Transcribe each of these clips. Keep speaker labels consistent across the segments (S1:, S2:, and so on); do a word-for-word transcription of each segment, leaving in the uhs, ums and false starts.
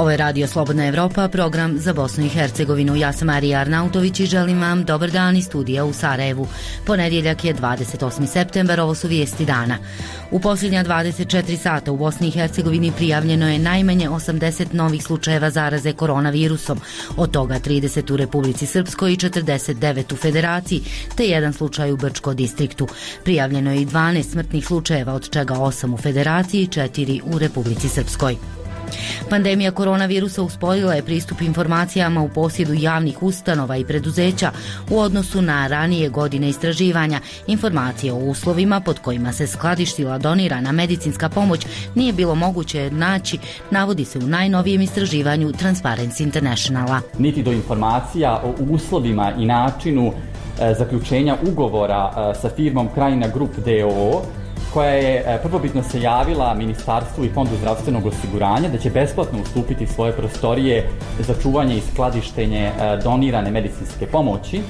S1: Ovo je Radio Slobodna Evropa, program za Bosnu i Hercegovinu. Ja sam Marija Arnautović i želim vam dobar dan iz studija u Sarajevu. Ponedjeljak je dvadeset osmi septembar, ovo su vijesti dana. U posljednja dvadeset četiri sata u Bosni i Hercegovini prijavljeno je najmanje osamdeset novih slučajeva zaraze koronavirusom, od toga trideset u Republici Srpskoj i četrdeset devet u Federaciji, te jedan slučaj u Brčko distriktu. Prijavljeno je i dvanaest smrtnih slučajeva, od čega osam u Federaciji i četiri u Republici Srpskoj. Pandemija koronavirusa usporila je pristup informacijama u posjedu javnih ustanova i preduzeća u odnosu na ranije godine istraživanja. Informacije o uslovima pod kojima se skladištila donirana medicinska pomoć nije bilo moguće naći, navodi se u najnovijem istraživanju Transparency Internationala.
S2: Niti do informacija o uslovima i načinu e, zaključenja ugovora e, sa firmom Krajina Group d o o, koja je prvobitno se javila Ministarstvu i Fondu zdravstvenog osiguranja da će besplatno ustupiti svoje prostorije za čuvanje i skladištenje donirane medicinske pomoći.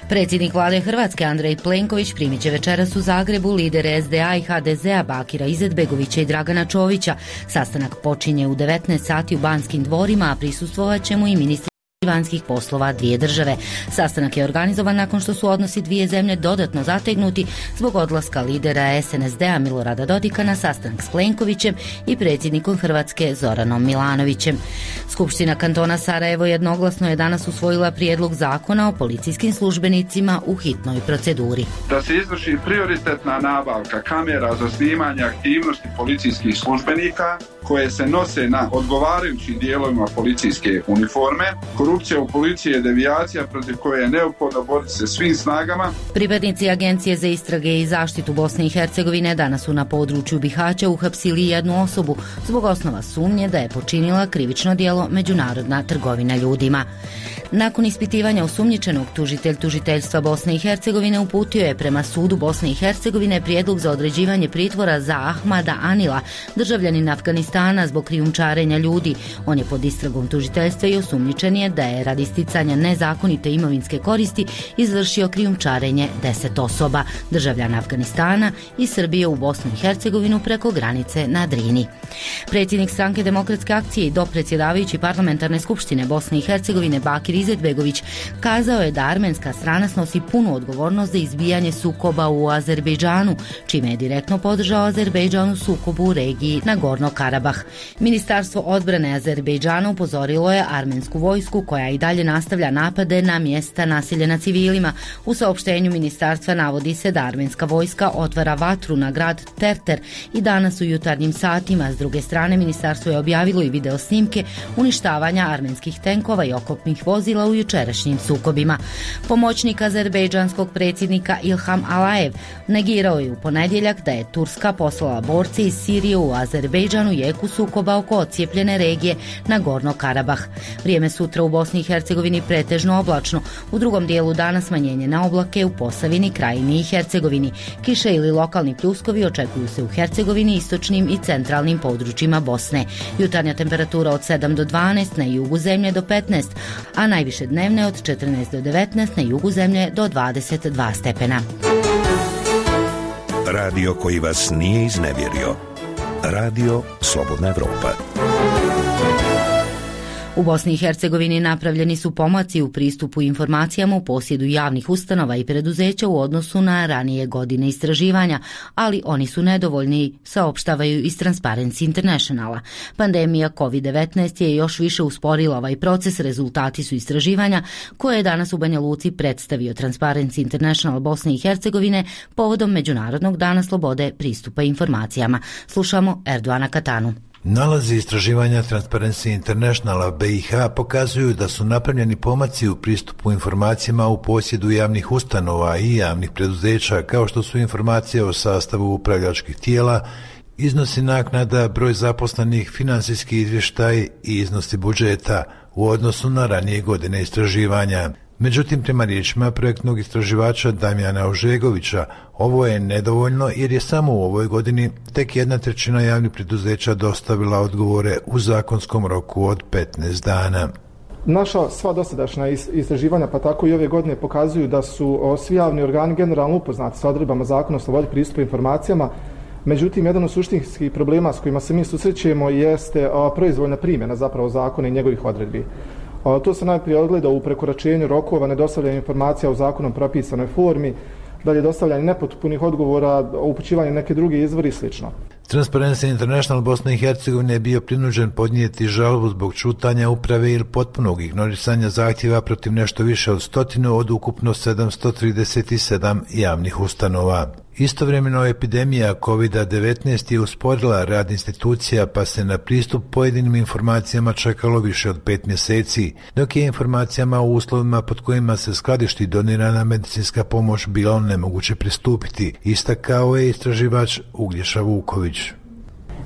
S1: Predsjednik vlade Hrvatske Andrej Plenković primit će večeras u Zagrebu lidere es de a i ha de zea Bakira Izetbegovića i Dragana Čovića. Sastanak počinje u devetnaest sati u Banskim dvorima, a prisustvovat će mu i ministri vanjskih poslova dvije države. Sastanak je organizovan nakon što su odnosi dvije zemlje dodatno zategnuti zbog odlaska lidera es en es de a Milorada Dodika na sastanak s Plenkovićem i predsjednikom Hrvatske Zoranom Milanovićem. Skupština kantona Sarajevo jednoglasno je danas usvojila prijedlog zakona o policijskim službenicima u hitnoj proceduri.
S3: Da se izvrši prioritetna nabavka kamera za snimanje aktivnosti policijskih službenika koje se nose na odgovarajućim dijelovima policijske uniforme. Korupcija u policiji je devijacija protiv koje je neophodno boriti se svim snagama.
S1: Pripadnici Agencije za istrage i zaštitu Bosne i Hercegovine danas su na području Bihaća uhapsili jednu osobu zbog osnova sumnje da je počinila krivično djelo međunarodna trgovina ljudima. Nakon ispitivanja osumnjičenog, tužitelj tužiteljstva Bosne i Hercegovine uputio je prema sudu Bosne i Hercegovine prijedlog za određivanje pritvora za Ahmada Anila, državljanina Afganistana, zbog krijumčarenja ljudi. On je pod istragom tužiteljstva i osumnjičen je da je radi sticanja nezakonite imovinske koristi izvršio krijumčarenje deset osoba, državljana Afganistana i Srbije u Bosnu i Hercegovinu preko granice na Drini. Predsjednik Stranke demokratske akcije i dopredsjedavajući parlamentarne skupštine Bosne i Hercegovine Bakir Izetbegović kazao je da armenska strana snosi punu odgovornost za izbijanje sukoba u Azerbejdžanu, čime je direktno podržao Azerbejdžan u sukobu u regiji Nagorno Karabah. Ministarstvo odbrane Azerbejdžana upozorilo je armensku vojsku koja i dalje nastavlja napade na mjesta naseljena civilima. U saopštenju ministarstva navodi se da armenska vojska otvara vatru na grad Terter i danas u jutarnjim satima. S druge strane, ministarstvo je objavilo i video snimke uništavanja armenskih tenkova i oklopnih vozila u jučerašnjim sukobima. Pomoćnik azerbejdžanskog predsjednika Ilham Alaev negirao je u ponedjeljak da je Turska poslala borce iz Sirije u Azerbejdžanu jeku sukoba oko odcijepljene regije Nagorno Karabah. Vrijeme sutra u Bosni i Hercegovini pretežno oblačno, u drugom dijelu dana smanjenje na oblake u Posavini, Krajini i Hercegovini. Kiše ili lokalni pljuskovi očekuju se u Hercegovini, istočnim i centralnim područjima Bosne. Jutarnja temperatura od sedam do dvanaest, na jugu zemlje do petnaest, a najviše dnevne od četrnaest do devetnaest, na jugu zemlje do dvadeset dva stepena.
S4: Radio koji vas nije iznevjerio. Radio Slobodna Evropa.
S1: U Bosni i Hercegovini napravljeni su pomaci u pristupu informacijama u posjedu javnih ustanova i preduzeća u odnosu na ranije godine istraživanja, ali oni su nedovoljni, saopštavaju iz Transparency Internationala. Pandemija kovid devetnaest je još više usporila ovaj proces. Rezultati su istraživanja koje je danas u Banja Luci predstavio Transparency International Bosne i Hercegovine povodom Međunarodnog dana slobode pristupa informacijama. Slušamo Erdoana Katanu.
S5: Nalazi istraživanja Transparency Internationala B i H pokazuju da su napravljeni pomaci u pristupu informacijama u posjedu javnih ustanova i javnih preduzeća, kao što su informacije o sastavu upravljačkih tijela, iznosi naknada, broj zaposlenih, financijski izvještaj i iznosi budžeta u odnosu na ranije godine istraživanja. Međutim, prema riječima projektnog istraživača Damjana Ožegovića, ovo je nedovoljno jer je samo u ovoj godini tek jedna trećina javnih preduzeća dostavila odgovore u zakonskom roku od petnaest dana.
S6: Naša sva dosadašnja istraživanja, pa tako i ove godine, pokazuju da su svi javni organi generalno upoznati sa odredbama Zakona o slobodi pristupa informacijama, Međutim, jedan od suštinskih problema s kojima se mi susrećemo jeste a, proizvoljna primjena zapravo zakona i njegovih odredbi. A, to se najprije ogleda u prekoračenju rokova, nedostavljanju informacija u zakonom propisanoj formi, dalje dostavljanje nepotpunih odgovora, upućivanje neke druge izvori i sl.
S5: Transparency International Bosne i Hercegovine je bio prinuđen podnijeti žalbu zbog čutanja uprave ili potpunog ignorisanja zahtjeva protiv nešto više od stotinu od ukupno sedamsto trideset sedam javnih ustanova. Istovremeno epidemija kovid devetnaest je usporila rad institucija, pa se na pristup pojedinim informacijama čekalo više od pet mjeseci, dok je informacijama o uslovima pod kojima se skladišti donirana medicinska pomoć bilo nemoguće pristupiti, istakao je istraživač Uglješa Vuković.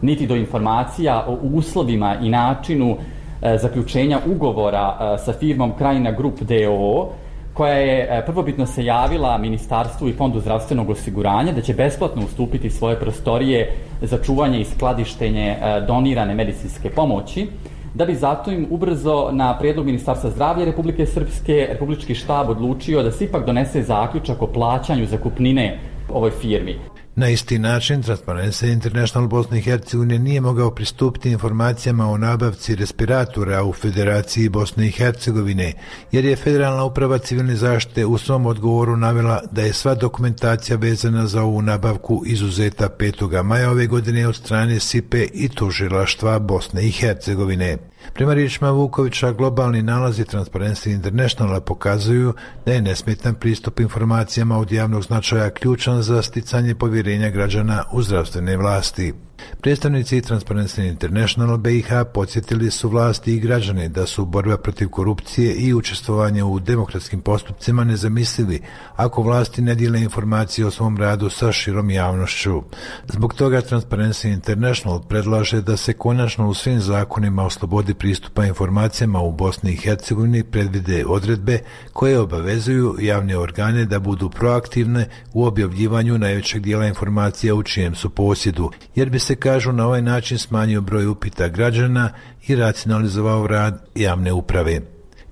S2: Niti do informacija o uslovima i načinu e, zaključenja ugovora e, sa firmom Krajina Grup d o o, koja je prvobitno se javila Ministarstvu i Fondu zdravstvenog osiguranja da će besplatno ustupiti svoje prostorije za čuvanje i skladištenje donirane medicinske pomoći, da bi zato im ubrzo na prijedlog Ministarstva zdravlja Republike Srpske Republički štab odlučio da se ipak donese zaključak o plaćanju zakupnine ovoj firmi.
S5: Na isti način, Transparency International Bosne i Hercegovine nije mogao pristupiti informacijama o nabavci respiratora u Federaciji Bosne i Hercegovine, jer je Federalna uprava civilne zaštite u svom odgovoru navela da je sva dokumentacija vezana za ovu nabavku izuzeta petog maja ove godine od strane S I P-e i tužilaštva Bosne i Hercegovine. Prema riječima Vukovića, globalni nalazi Transparency Internationala pokazuju da je nesmetan pristup informacijama od javnog značaja ključan za sticanje povjerenja građana u zdravstvene vlasti. Predstavnici Transparency International B i H podsjetili su vlasti i građane da su borba protiv korupcije i učestvovanje u demokratskim postupcima nezamislivi ako vlasti ne dijele informacije o svom radu sa širom javnošću. Zbog toga Transparency International predlaže da se konačno u svim zakonima o slobodi pristupa informacijama u Bosni i Hercegovini predvide odredbe koje obavezuju javne organe da budu proaktivne u objavljivanju najvećeg dijela informacija u čijem su posjedu, jer bi se, kažu, na ovaj način smanjio broj upita građana i racionalizovao rad javne uprave.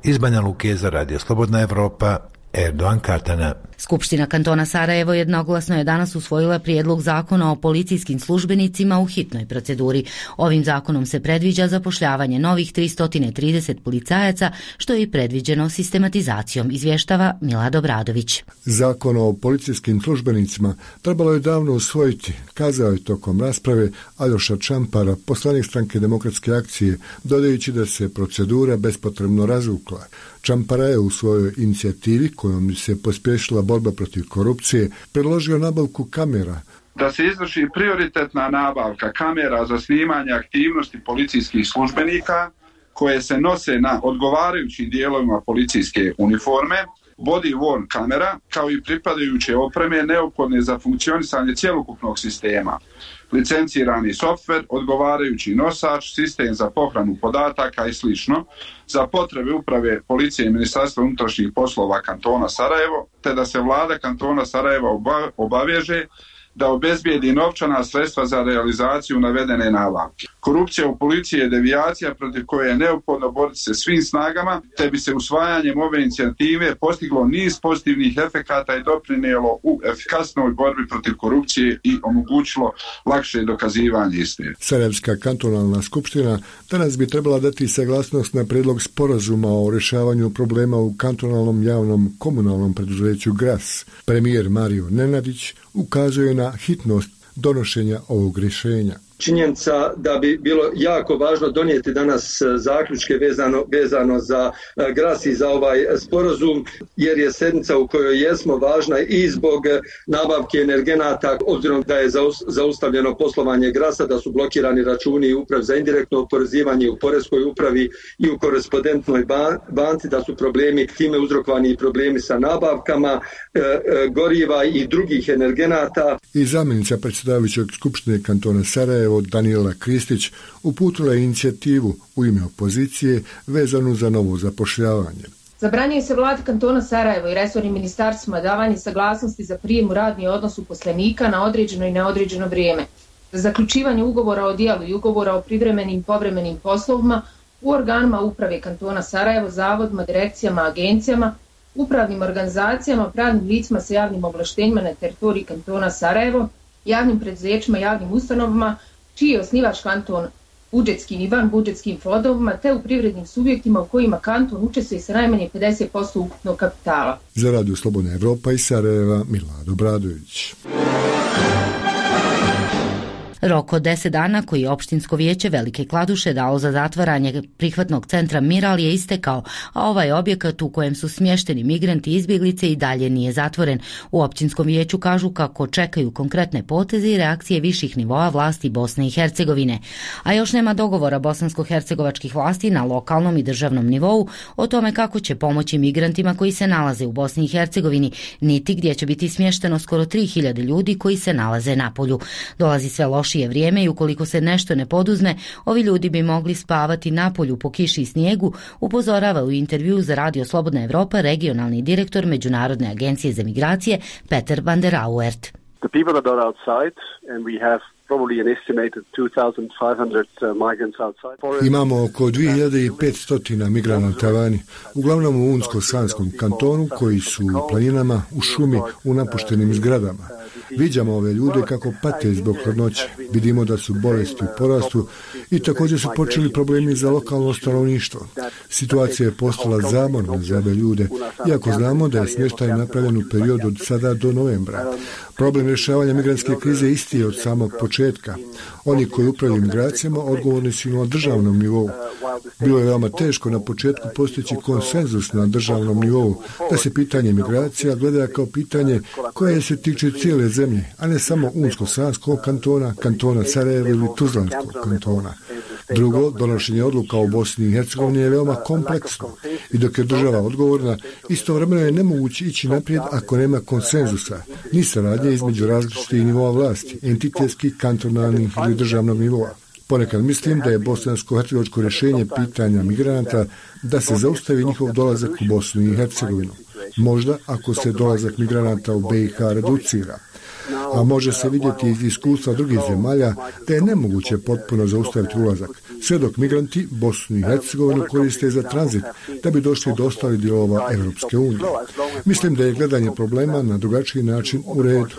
S5: Iz Banja Luke za Radio Slobodna Evropa, Erdogan Katana.
S1: Skupština kantona Sarajevo jednoglasno je danas usvojila prijedlog zakona o policijskim službenicima u hitnoj proceduri. Ovim zakonom se predviđa zapošljavanje novih tristo trideset policajaca, što je i predviđeno sistematizacijom, izvještava Milad Obradović.
S7: Zakon o policijskim službenicima trebalo je davno usvojiti, kazao je tokom rasprave Aljoša Čampara, poslanik Stranke demokratske akcije, dodajući da se procedura bespotrebno razvukla. Čampara je u svojoj inicijativi, kojom se pospješila borba protiv korupcije, predložio nabavku kamera.
S3: Da se izvrši prioritetna nabavka kamera za snimanje aktivnosti policijskih službenika koje se nose na odgovarajućim dijelovima policijske uniforme, body worn kamera, kao i pripadajuće opreme neophodne za funkcionisanje cjelokupnog sistema, licencirani softver, odgovarajući nosač, sistem za pohranu podataka i sl. Za potrebe uprave policije i Ministarstva unutrašnjih poslova kantona Sarajevo, te da se vlada kantona Sarajeva obaveže da obezbijedi novčana sredstva za realizaciju navedene nabavke. Korupcija u policiji je devijacija protiv koje je neophodno boriti se svim snagama, te bi se usvajanjem ove inicijative postiglo niz pozitivnih efekata i doprinijelo u efikasnoj borbi protiv korupcije i omogućilo lakše dokazivanje istine.
S7: Sarajevska kantonalna skupština danas bi trebala dati saglasnost na prijedlog sporazuma o rješavanju problema u kantonalnom javnom komunalnom preduzeću Gras. Premijer Mario Nenadić ukazuje na hitnost donošenja ovog rješenja.
S8: Činjenica da bi bilo jako važno donijeti danas zaključke vezano, vezano za Gras i za ovaj sporazum, jer je sedmica u kojoj jesmo važna i zbog nabavke energenata, obzirom da je zaustavljeno poslovanje Grasa, da su blokirani računi Upravi za indirektno oporezivanje u Poreskoj upravi i u korespondentnoj banci, da su problemi time uzrokovani i problemi sa nabavkama e, e, goriva i drugih energenata.
S7: I zamjenica predsjedavajućeg Skupštine kantona Sarajevo Danijela Kristić uputila je inicijativu u ime opozicije vezanu za novo zapošljavanje.
S9: Zabranjuje se vladi kantona Sarajevo i resornim ministarstvima davanje saglasnosti za prijem u radni odnos uposlenika na određeno i neodređeno vrijeme, za zaključivanje ugovora o djelu i ugovora o privremenim i povremenim poslovima u organima uprave kantona Sarajevo, zavodima, direkcijama, agencijama, upravnim organizacijama, pravnim licima sa javnim ovlaštenjima na teritoriji kantona Sarajevo, javnim preduzećima, javnim ustanovama, čiji je osnivač kanton budžetskim i van budžetskim fondovima, te u privrednim subjektima u kojima kanton učestvuje sa najmanje pedeset posto ukupnog kapitala.
S7: Za Radio Slobodna Evropa iz Sarajeva, Milado Bradović.
S1: Rok od deset dana koji je opštinsko vijeće Velike Kladuše dalo za zatvaranje prihvatnog centra Miral je istekao, a ovaj objekat u kojem su smješteni migranti i izbjeglice i dalje nije zatvoren. U opštinskom vijeću kažu kako čekaju konkretne poteze i reakcije viših nivoa vlasti Bosne i Hercegovine. A još nema dogovora bosansko-hercegovačkih vlasti na lokalnom i državnom nivou o tome kako će pomoći migrantima koji se nalaze u Bosni i Hercegovini, niti gdje će biti smješteno skoro tri hiljade ljudi koji se nalaze na polju. Dolazi sve lošije vrijeme i ukoliko se nešto ne poduzme, ovi ljudi bi mogli spavati na polju po kiši i snijegu, upozorava u intervju za Radio Slobodna Evropa regionalni direktor Međunarodne agencije za migracije Peter van der Auert.
S10: The people that are outside, and we have probably an estimated two thousand five hundred migrants outside.
S7: Imamo oko dvije hiljade petsto migranata vani, uglavnom u Unsko-Sanskom kantonu, koji su u planinama, u šumi, u napuštenim zgradama. Viđamo ove ljude kako pate zbog hladnoće. Vidimo da su bolesti u porastu i također su počeli problemi za lokalno stanovništvo. Situacija je postala zamorna za ove ljude, iako znamo da je smještaj napravljen u periodu od sada do novembra. Problem rješavanja migrantske krize isti je od samog početka. Oni koji upravljaju migracijama odgovorni su na državnom nivou. Bilo je veoma teško na početku postići konsenzus na državnom nivou, da se pitanje migracija gleda kao pitanje koje se tiče cijele zemlje, a ne samo Unsko-Sanskog kantona, kantona Sarajevo ili Tuzlanskog kantona. Drugo, donošenje odluka u Bosni i Hercegovini je veoma kompleksno i dok je država odgovorna, istovremeno je nemoguće ići naprijed ako nema konsenzusa, ni saradnje između različitih nivoa vlasti, entitetskih, kantonalnih ili državnog nivoa. Ponekad mislim da je bosansko-hercegovačko rješenje pitanja migranata da se zaustavi njihov dolazak u Bosnu i Hercegovinu. Možda ako se dolazak migranata u B i H reducira. A može se vidjeti iz iskustva drugih zemalja da je nemoguće potpuno zaustaviti ulazak, sve dok migranti Bosnu i Hercegovinu koriste za tranzit da bi došli do ostalih dijelova Evropske unije. Mislim da je gledanje problema na drugačiji način u redu.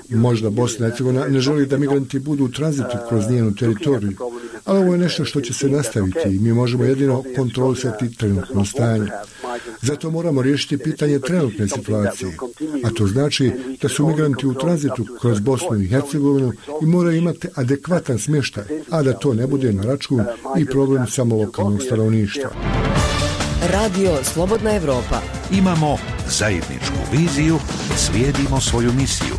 S7: Možda Bosna i Hercegovina ne želi da migranti budu u tranzitu kroz njenu teritoriju, ali ovo je nešto što će se nastaviti i mi možemo jedino kontrolisati trenutno stanje. Zato moramo riješiti pitanje trenutne situacije, a to znači da su migranti u tranzitu kroz Bosnu i Hercegovinu i moraju imati adekvatan smještaj, a da to ne bude na račun i problem samo lokalnog stanovništva.
S11: Radio Slobodna Evropa.
S4: Imamo zajedničku viziju, slijedimo svoju misiju.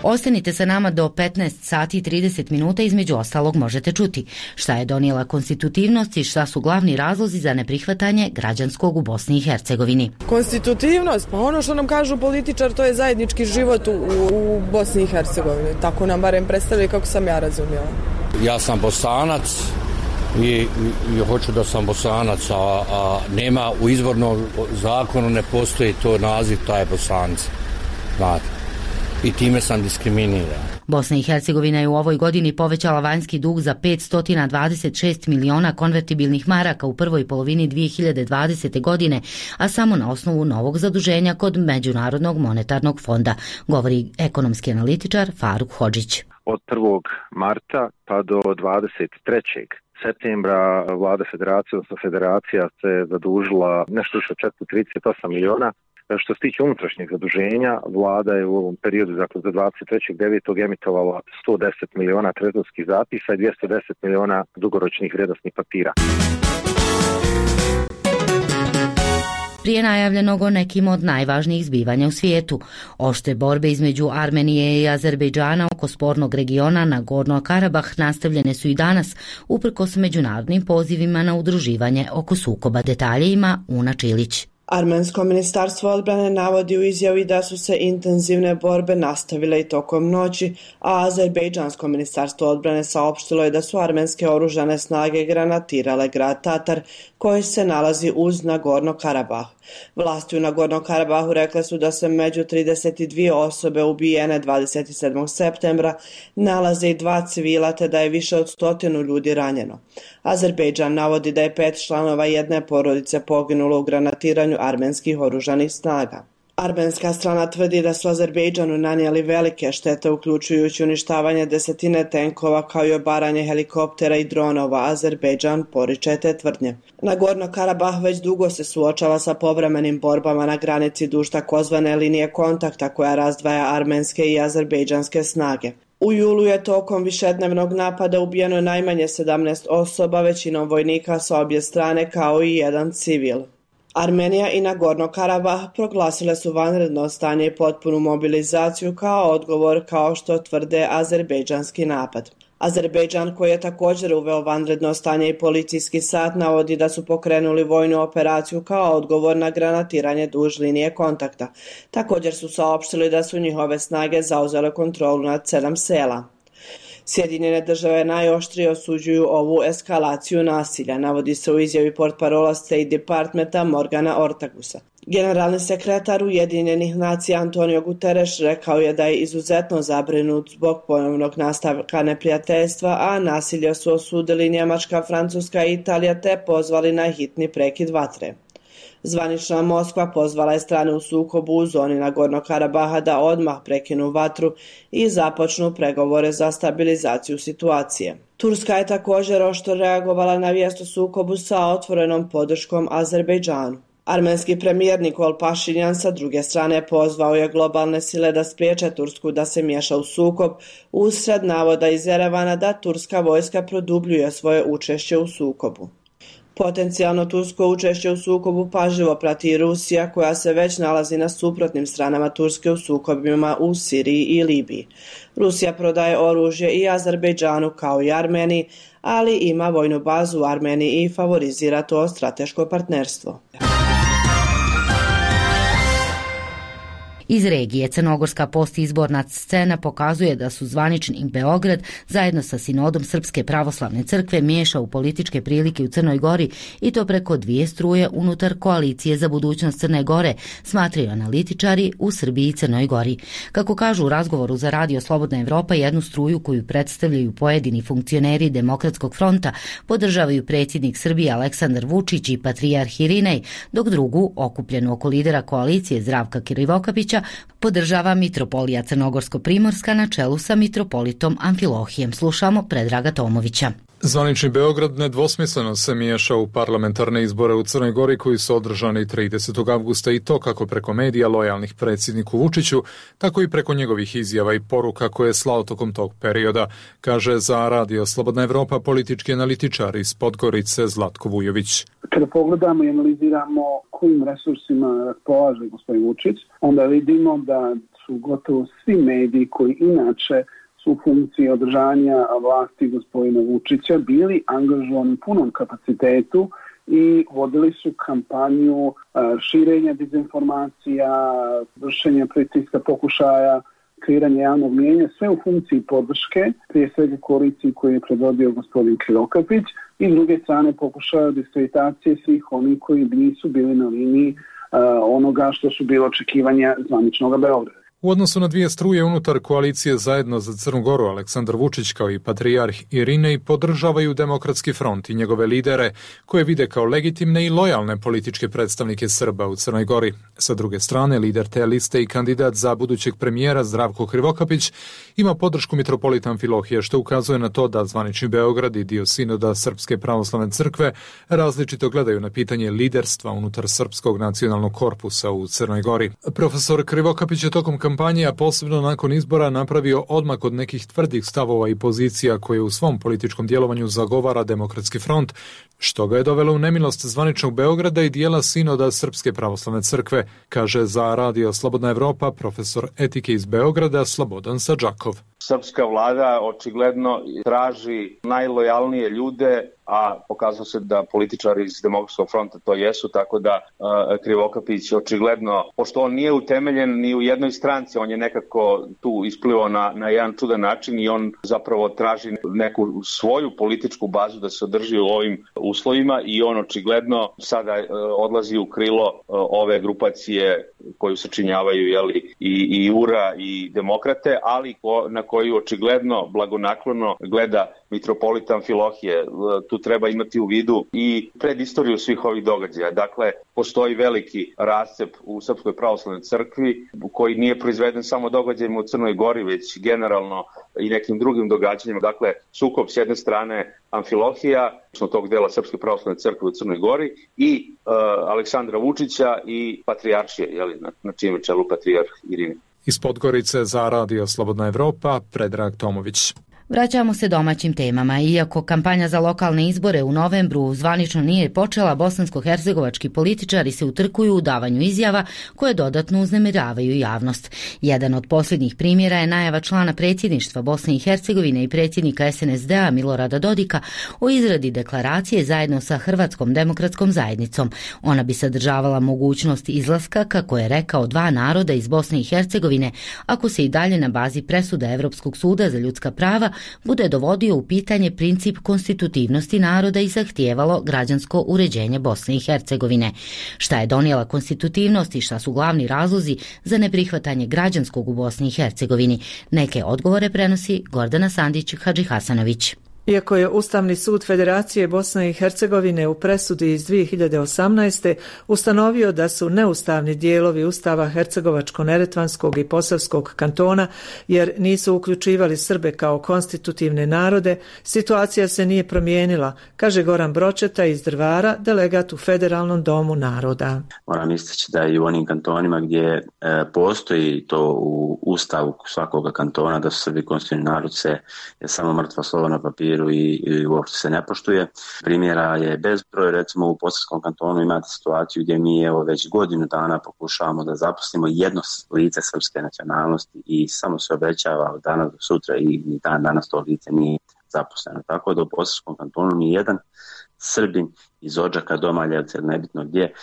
S1: Ostanite sa nama do petnaest sati i trideset minuta, između ostalog možete čuti šta je donijela konstitutivnost i šta su glavni razlozi za neprihvatanje građanskog u Bosni i Hercegovini.
S12: Konstitutivnost, pa ono što nam kažu političar, to je zajednički život u, u Bosni i Hercegovini. Tako nam barem predstavljaju kako sam ja razumjela.
S13: Ja sam Bosanac i, i, i hoću da sam Bosanac, a, a nema u izvornom zakonu ne postoji to naziv, taj Bosanac. Znate. I time sam diskriminiran.
S1: Bosna i Hercegovina je u ovoj godini povećala vanjski dug za petsto dvadeset šest miliona konvertibilnih maraka u prvoj polovini dvije hiljade dvadesete. godine, a samo na osnovu novog zaduženja kod Međunarodnog monetarnog fonda, govori ekonomski analitičar Faruk Hodžić.
S14: Od prvog marta pa do dvadeset trećeg septembra vlada federacije, odnosno federacija se zadužila nešto više od četiristo trideset osam miliona. Što se tiče unutrašnjeg zaduženja, vlada je u ovom periodu, dakle za dvadeset trećeg devetog emitovala sto deset miliona trezorskih zapisa i dvjesto deset miliona dugoročnih vrijednosnih papira.
S1: Prije najavljenog o nekim od najvažnijih zbivanja u svijetu. Oštre borbe između Armenije i Azerbejdžana oko spornog regiona Nagorno-Karabah nastavljene su i danas, uprkos međunarodnim pozivima na udruživanje oko sukoba. Detalje ima Una Čilić.
S15: Armensko ministarstvo odbrane navodi u izjavi da su se intenzivne borbe nastavile i tokom noći, a Azerbejdžansko ministarstvo odbrane saopštilo je da su armenske oružane snage granatirale grad Tatar, koji se nalazi uz Nagorno-Karabah. Vlasti u Nagorno-Karabahu rekle su da se među trideset dvije osobe ubijene dvadeset sedmog septembra nalaze i dva civila, te da je više od stotinu ljudi ranjeno. Azerbejdžan navodi da je pet članova jedne porodice poginulo u granatiranju armenskih oružanih snaga. Armenska strana tvrdi da su Azerbejdžanu nanijeli velike štete, uključujući uništavanje desetine tenkova kao i obaranje helikoptera i dronova. Azerbejdžan poriče te tvrdnje. Nagorno Karabah već dugo se suočava sa povremenim borbama na granici duž takozvane linije kontakta koja razdvaja armenske i azerbejdžanske snage. U julu je tokom višednevnog napada ubijeno najmanje sedamnaest osoba, većinom vojnika sa obje strane kao i jedan civil. Armenija i Nagorno Karabah proglasile su vanredno stanje i potpunu mobilizaciju kao odgovor, kao što tvrde azerbejdžanski napad. Azerbejdžan, koji je također uveo vanredno stanje i policijski sat, navodi da su pokrenuli vojnu operaciju kao odgovor na granatiranje duž linije kontakta. Također su saopštili da su njihove snage zauzele kontrolu nad sedam sela. Sjedinjene države najoštrije osuđuju ovu eskalaciju nasilja, navodi se u izjavi portparola State Departmenta Morgana Ortagusa. Generalni sekretar Ujedinjenih nacija Antonio Guterres rekao je da je izuzetno zabrinut zbog ponovnog nastavka neprijateljstva, a nasilje su osudili Njemačka, Francuska i Italija te pozvali na hitni prekid vatre. Zvanična Moskva pozvala je strane u sukobu u zoni Nagorno Karabaha da odmah prekinu vatru i započnu pregovore za stabilizaciju situacije. Turska je također oštro reagovala na vijest o sukobu sa otvorenom podrškom Azerbejdžanu. Armenski premijer Nikol Pašinjan sa druge strane pozvao je globalne sile da spriječe Tursku da se miješa u sukob, usred navoda iz Erevana da turska vojska produbljuje svoje učešće u sukobu. Potencijalno tursko učešće u sukobu pažljivo prati i Rusija, koja se već nalazi na suprotnim stranama Turske u sukobima u Siriji i Libiji. Rusija prodaje oružje i Azerbejdžanu kao i Armeniji, ali ima vojnu bazu u Armeniji i favorizira to strateško partnerstvo.
S1: Iz regije crnogorska postizborna scena pokazuje da su zvanični Beograd zajedno sa Sinodom Srpske pravoslavne crkve miješa u političke prilike u Crnoj Gori i to preko dvije struje unutar koalicije za budućnost Crne Gore, smatraju analitičari u Srbiji i Crnoj Gori. Kako kažu u razgovoru za Radio Slobodna Evropa, jednu struju koju predstavljaju pojedini funkcioneri Demokratskog fronta podržavaju predsjednik Srbije Aleksandar Vučić i patrijarh Irinej, dok drugu, okupljenu oko lidera koalicije Zdravka Krivokapića, podržava mitropolija Crnogorsko-Primorska na čelu sa mitropolitom Amfilohijem. Slušamo Predraga Tomovića.
S16: Zvanični Beograd nedvosmisleno se miješa u parlamentarne izbore u Crnoj Gori koji su održani tridesetog avgusta i to kako preko medija lojalnih predsjedniku Vučiću, tako i preko njegovih izjava i poruka koje je slao tokom tog perioda, kaže za Radio Slobodna Evropa politički analitičar iz Podgorice Zlatko Vujović.
S17: Kada pogledamo i analiziramo kojim resursima raspolaže gospodin Vučić, onda vidimo da su gotovo svi mediji koji inače u funkciji održanja vlasti gospodina Vučića bili angažovani u punom kapacitetu i vodili su kampanju širenja dezinformacija, vršenja pritiska, pokušaja kreiranja javnog mijenja, sve u funkciji podrške, prije svega koaliciji koju je predvodio gospodin Krivokapić i s druge strane pokušaja diskreditacije svih onih koji nisu bili na liniji onoga što su bilo očekivanja zvaničnog Beograda.
S16: U odnosu na dvije struje unutar koalicije Zajedno za Crnu Goru, Aleksandar Vučić kao i patrijarh Irinej podržavaju Demokratski front i njegove lidere, koje vide kao legitimne i lojalne političke predstavnike Srba u Crnoj Gori. Sa druge strane, lider te liste i kandidat za budućeg premijera Zdravko Krivokapić ima podršku mitropolita Amfilohije, što ukazuje na to da zvanični Beograd i dio Sinoda Srpske pravoslavne crkve različito gledaju na pitanje liderstva unutar Srpskog nacionalnog korpusa u Crnoj Gori. Profesor Krivokapić je tokom kampanje, a posebno nakon izbora, napravio odmak od nekih tvrdih stavova i pozicija koje u svom političkom djelovanju zagovara Demokratski front, što ga je dovelo u nemilost zvaničnog Beograda i dijela Sinoda Srpske pravoslavne crkve, kaže za Radio Slobodna Evropa profesor etike iz Beograda Slobodan Sadžakov.
S18: Srpska vlada očigledno traži najlojalnije ljude, a pokazalo se da političari iz Demokratskog fronta to jesu, tako da uh, Krivokapić očigledno, pošto on nije utemeljen ni u jednoj stranci, on je nekako tu isplivao na, na jedan čudan način i on zapravo traži neku svoju političku bazu da se održi u ovim uslovima i on očigledno sada uh, odlazi u krilo uh, ove grupacije koju sačinjavaju jeli, i, i U R A i Demokrate, ali ko, na koju očigledno blagonaklono gleda mitropolita Amfilohije. Tu treba imati u vidu i predistoriju svih ovih događaja. Dakle, postoji veliki rascep u Srpskoj pravoslavnoj crkvi koji nije proizveden samo događajima u Crnoj Gori, već generalno i nekim drugim događanjima. Dakle, sukob s jedne strane Amfilohija, odnosno tog dela Srpske pravoslavne crkve u Crnoj Gori, i uh, Aleksandra Vučića i patrijaršije, jeli, na, na čijem čelu patrijarh Irine.
S16: Iz Podgorice za Radio Slobodna Evropa, Predrag Tomović.
S1: Vraćamo se domaćim temama. Iako kampanja za lokalne izbore u novembru zvanično nije počela, bosansko-hercegovački političari se utrkuju u davanju izjava koje dodatno uznemiravaju javnost. Jedan od posljednjih primjera je najava člana predsjedništva Bosne i Hercegovine i predsjednika es en es de-a Milorada Dodika o izradi deklaracije zajedno sa Hrvatskom demokratskom zajednicom. Ona bi sadržavala mogućnost izlaska, kako je rekao, dva naroda iz Bosne i Hercegovine, ako se i dalje na bazi presuda Evropskog suda za ljudska prava bude dovodio u pitanje princip konstitutivnosti naroda i zahtijevalo građansko uređenje Bosne i Hercegovine. Šta je donijela konstitutivnost i šta su glavni razlozi za neprihvatanje građanskog u Bosni i Hercegovini? Neke odgovore prenosi Gordana Sandić-Hadžihasanović.
S19: Iako je Ustavni sud Federacije Bosne i Hercegovine u presudi iz dvije hiljade osamnaeste. ustanovio da su neustavni dijelovi Ustava Hercegovačko-Neretvanskog i Posavskog kantona, jer nisu uključivali Srbe kao konstitutivne narode, situacija se nije promijenila, kaže Goran Bročeta iz Drvara, delegat u Federalnom domu naroda.
S20: Moram istaći da i u onim kantonima gdje e, postoji to u Ustavu svakoga kantona da su Srbi konstitutivni narod, se je samo mrtvo slovo na papiru i, i uopšte se ne poštuje. Primjera je bezbroj, recimo u Posavskom kantonu imate situaciju gdje mi evo već godinu dana pokušavamo da zaposlimo jedno lice srpske nacionalnosti i samo se obećava od danas do sutra i ni dan danas to lice nije zaposleno. Tako da u Posavskom kantonu ni jedan Srbin iz Odžaka, Domaljevca ili nebitno gdje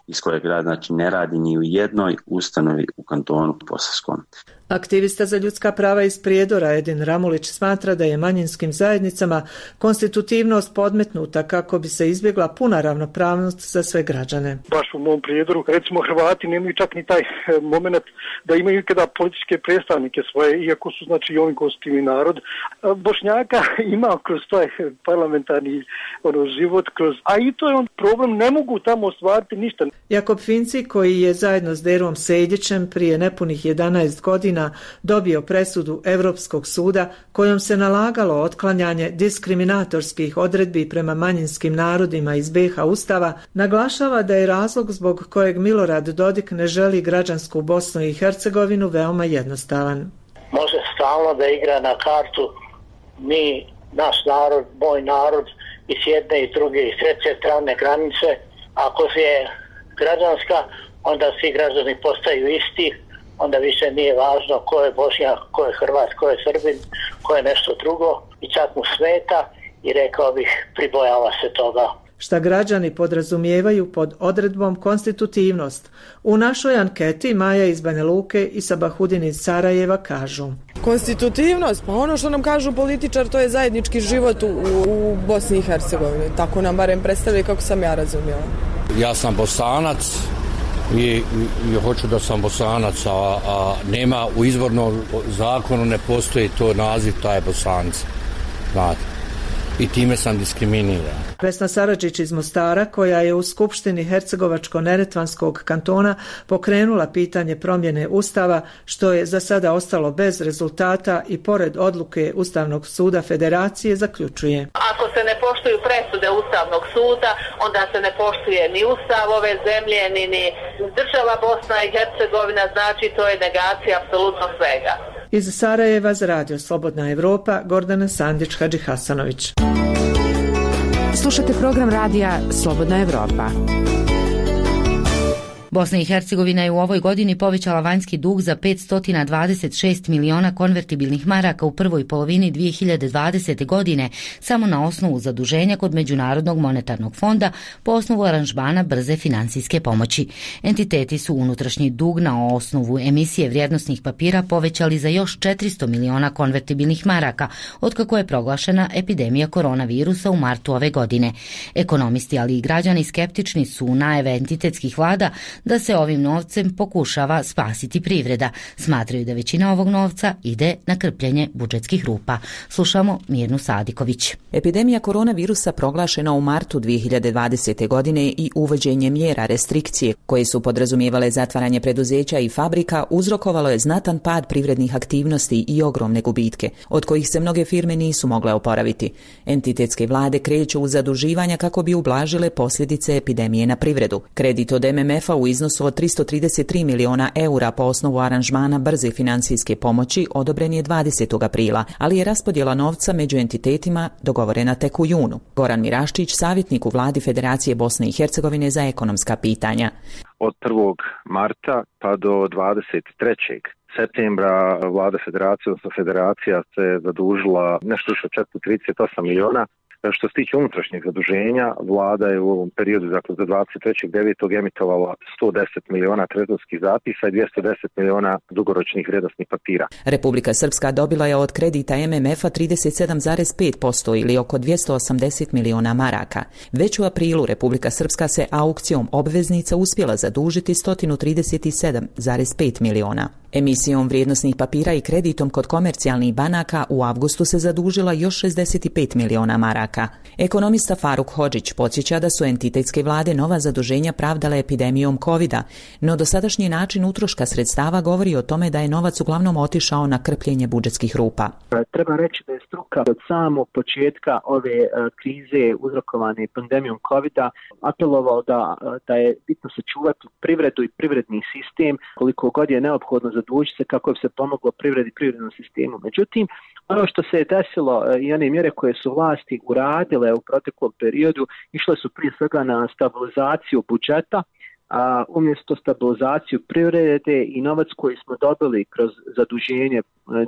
S20: iz kojeg grad, znači, ne radi ni u jednoj ustanovi u kantonu Posavskom.
S19: Aktivista za ljudska prava iz Prijedora Edin Ramulić smatra da je manjinskim zajednicama konstitutivnost podmetnuta kako bi se izbjegla puna ravnopravnost za sve građane.
S21: Baš u mom Prijedoru, recimo, Hrvati nemaju čak ni taj moment da imaju ikada političke predstavnike svoje, iako su, znači, ovim konstitutivni narod. Bošnjaka ima kroz taj parlamentarni ono, život, kroz, a i to je on problem, ne mogu tamo ostvariti ništa.
S19: Jakob Finci, koji je zajedno s Derom Sejdićem prije nepunih jedanaest godina dobio presudu Europskog suda kojom se nalagalo otklanjanje diskriminatorskih odredbi prema manjinskim narodima iz be ha Ustava, naglašava da je razlog zbog kojeg Milorad Dodik ne želi građansku Bosnu i Hercegovinu veoma jednostavan.
S22: Može stalno da igra na kartu mi, naš narod, moj narod i s jedne i druge i s treće strane granice. Ako je građanska, onda svi građani postaju isti, onda više nije važno ko je Bošnjak, ko je Hrvat, ko je Srbin, ko je nešto drugo i čak mu smeta i rekao bih pribojava se toga.
S19: Šta građani podrazumijevaju pod odredbom konstitutivnost? U našoj anketi Maja iz Banja Luke i Sabahudin iz Sarajeva kažu:
S12: Konstitutivnost, pa ono što nam kažu političar, to je zajednički život u, u Bosni i Hercegovini. Tako nam barem predstavljaju kako sam ja razumjela.
S13: Ja sam Bosanac i, i, i hoću da sam Bosanac, a, a nema u izvornom zakonu ne postoji to naziv, taj Bosanci. Znate. I time sam diskriminiran.
S19: Vesna Saradžić iz Mostara, koja je u Skupštini Hercegovačko-Neretvanskog kantona pokrenula pitanje promjene Ustava, što je za sada ostalo bez rezultata i pored odluke Ustavnog suda Federacije, zaključuje:
S23: Ako se ne poštuju presude Ustavnog suda, onda se ne poštuje ni Ustav ove zemlje, ni, ni država Bosna i Hercegovina, znači to je negacija apsolutno svega.
S19: Iz Sarajeva za Radio Slobodna Evropa, Gordana Sandić-Hadžihasanović.
S11: Slušate program radija Slobodna Evropa.
S1: Bosna i Hercegovina je u ovoj godini povećala vanjski dug za petsto dvadeset šest miliona konvertibilnih maraka u prvoj polovini dvije hiljade dvadesete. godine samo na osnovu zaduženja kod Međunarodnog monetarnog fonda po osnovu aranžmana brze financijske pomoći. Entiteti su unutrašnji dug na osnovu emisije vrijednosnih papira povećali za još četiristo miliona konvertibilnih maraka otkako je proglašena epidemija koronavirusa u martu ove godine. Ekonomisti, ali i građani skeptični su najave entitetskih vlada da se ovim novcem pokušava spasiti privreda. Smatraju da većina ovog novca ide na krpljenje budžetskih rupa. Slušamo Mirnu Sadiković.
S2: Epidemija koronavirusa proglašena u martu dvije hiljade dvadesete. godine i uvođenje mjera restrikcije koje su podrazumijevale zatvaranje preduzeća i fabrika uzrokovalo je znatan pad privrednih aktivnosti i ogromne gubitke, od kojih se mnoge firme nisu mogle oporaviti. Entitetske vlade kreću u zaduživanja kako bi ublažile posljedice epidemije na privredu. Kredit od M M F-a u iznosu od tristo trideset tri miliona eura po osnovu aranžmana brze financijske pomoći odobren je dvadesetog aprila, ali je raspodjela novca među entitetima dogovorena tek u junu. Goran Miraščić, savjetnik u vladi Federacije Bosne i Hercegovine za ekonomska pitanja.
S14: Od prvog marta pa do dvadeset trećeg septembra vlada Federacije, odnosno Federacija se zadužila nešto više od četiristo trideset osam miliona. Što se tiče unutrašnjeg zaduženja, vlada je u ovom periodu, dakle za dvadeset trećeg devetog emitovala sto deset miliona trezorskih zapisa i dvjesto deset miliona dugoročnih vrijednosnih papira.
S2: Republika Srpska dobila je od kredita M M F-a trideset sedam zarez pet posto ili oko dvjesto osamdeset miliona maraka. Već u aprilu Republika Srpska se aukcijom obveznica uspjela zadužiti sto trideset sedam zarez pet miliona. Emisijom vrijednosnih papira i kreditom kod komercijalnih banaka u avgustu se zadužila još šezdeset pet miliona maraka. Ekonomista Faruk Hodžić podsjeća da su entitetske vlade nova zaduženja pravdale epidemijom kovida, no dosadašnji način utroška sredstava govori o tome da je novac uglavnom otišao na krpljenje budžetskih rupa.
S5: Treba reći da je struka od samog početka ove krize uzrokovane pandemijom kovida apelovao da, da je bitno sačuvati privredu i privredni sistem koliko god je neophodno zadužiti se kako bi se pomoglo privredi i privrednom sistemu. Međutim, ono što se je desilo i one mjere koje su vlasti uradile u proteklom periodu išle su prije svega na stabilizaciju budžeta, a umjesto stabilizaciju privrede i novac koji smo dobili kroz zaduženje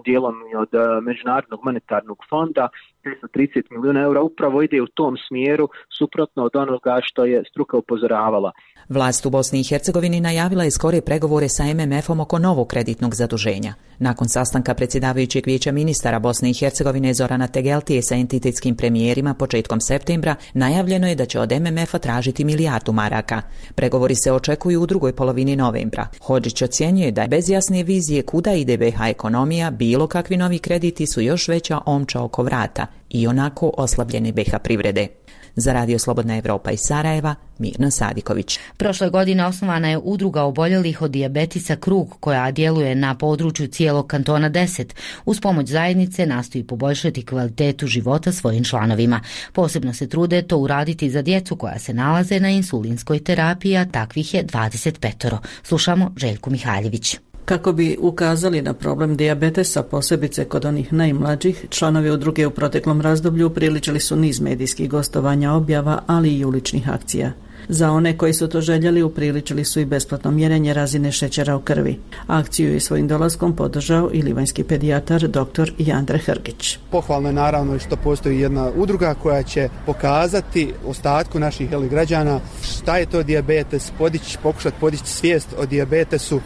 S5: dijelom od Međunarodnog monetarnog fonda tristo trideset milijuna eura upravo ide u tom smjeru suprotno od onoga što je struka upozoravala.
S2: Vlast u Bosni i Hercegovini najavila je skore pregovore sa M M F-om oko novog kreditnog zaduženja. Nakon sastanka predsjedavajućeg vijeća ministara Bosne i Hercegovine Zorana Tegeltije sa entitetskim premijerima početkom septembra najavljeno je da će od M M F-a tražiti milijardu maraka. Pregovori se očekuju u drugoj polovini novembra. Hodžić ocjenjuje da je bez jasne vizije kuda ide B H ekonomija, bilo kakvi novi krediti su još veća omča oko vrata i onako oslabljene B H privrede. Za Radio Slobodna Evropa iz Sarajeva, Mirna Sadiković.
S1: Prošle godine osnovana je udruga oboljelih od dijabetisa Krug, koja djeluje na području cijelog kantona deset. Uz pomoć zajednice nastoji poboljšati kvalitetu života svojim članovima. Posebno se trude to uraditi za djecu koja se nalaze na insulinskoj terapiji, a takvih je dvadeset pet. Slušamo Željku Mihaljević.
S6: Kako bi ukazali na problem dijabetesa, posebice kod onih najmlađih, članovi udruge u proteklom razdoblju upriličili su niz medijskih gostovanja, objava, ali i uličnih akcija. Za one koji su to željeli upriličili su i besplatno mjerenje razine šećera u krvi. Akciju je svojim dolaskom podržao i livanjski pedijatar dr. Jandre Hrgić.
S24: Pohvalno je naravno što postoji jedna udruga koja će pokazati ostatku naših jeli, građana šta je to dijabetes, podići, pokušati podići svijest o dijabetesu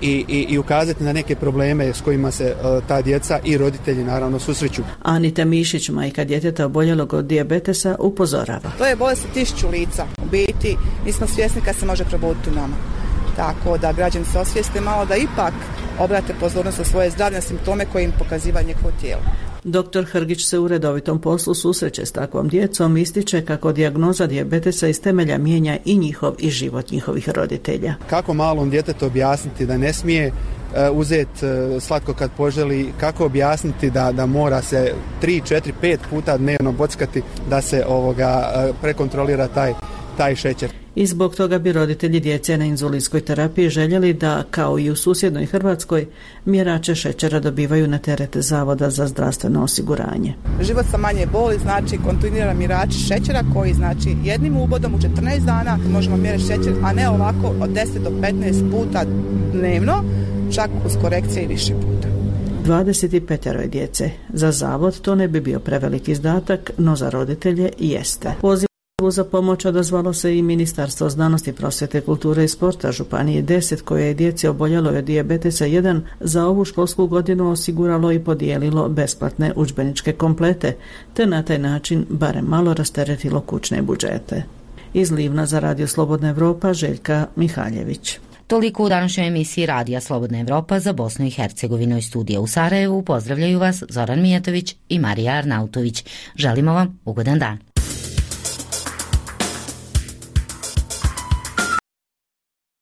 S24: I, i, i ukazati na neke probleme s kojima se uh, ta djeca i roditelji naravno susreću.
S6: Anita Mišić, majka djeteta oboljelog od dijabetesa, upozorava.
S25: To je bolest tisuću lica. U biti nismo svjesni kad se može probuditi u nama. Tako da građani se osvijeste malo da ipak obrate pozornost na svoje zdravlje simptome koje im pokaziva njihovo tijelo.
S6: Doktor Hrgić se u redovitom poslu susreće s takvom djecom, ističe kako dijagnoza dijabetesa iz temelja mijenja i njihov i život njihovih roditelja.
S24: Kako malom djetetu objasniti da ne smije uh, uzeti uh, slatko kad poželi, kako objasniti da, da mora se tri, četiri, pet puta dnevno bockati da se ovoga uh, prekontrolira taj, taj šećer.
S6: I zbog toga bi roditelji djece na inzulinskoj terapiji željeli da, kao i u susjednoj Hrvatskoj, mjerače šećera dobivaju na teret Zavoda za zdravstveno osiguranje.
S25: Život sa manje boli znači kontinuiran mjerač šećera koji znači jednim ubodom u četrnaest dana možemo mjeriti šećer, a ne ovako od deset do petnaest puta dnevno, čak uz korekcije i više puta.
S6: dvadeset pet djece. Za zavod to ne bi bio prevelik izdatak, no za roditelje jeste. Poziv za pomoć odazvalo se i Ministarstvo znanosti, prosvjete, kulture i sporta Županije deset, koje je djeci oboljelo od dijabetesa jedan za ovu školsku godinu osiguralo i podijelilo besplatne udžbeničke komplete, te na taj način barem malo rasteretilo kućne budžete. Iz Livna za Radio Slobodna Evropa, Željka Mihaljević.
S1: Toliko u današnjoj emisiji Radija Slobodna Evropa za Bosnu i Hercegovinu. Iz studija u Sarajevu pozdravljaju vas Zoran Mijatović i Marija Arnautović. Želimo vam ugodan dan.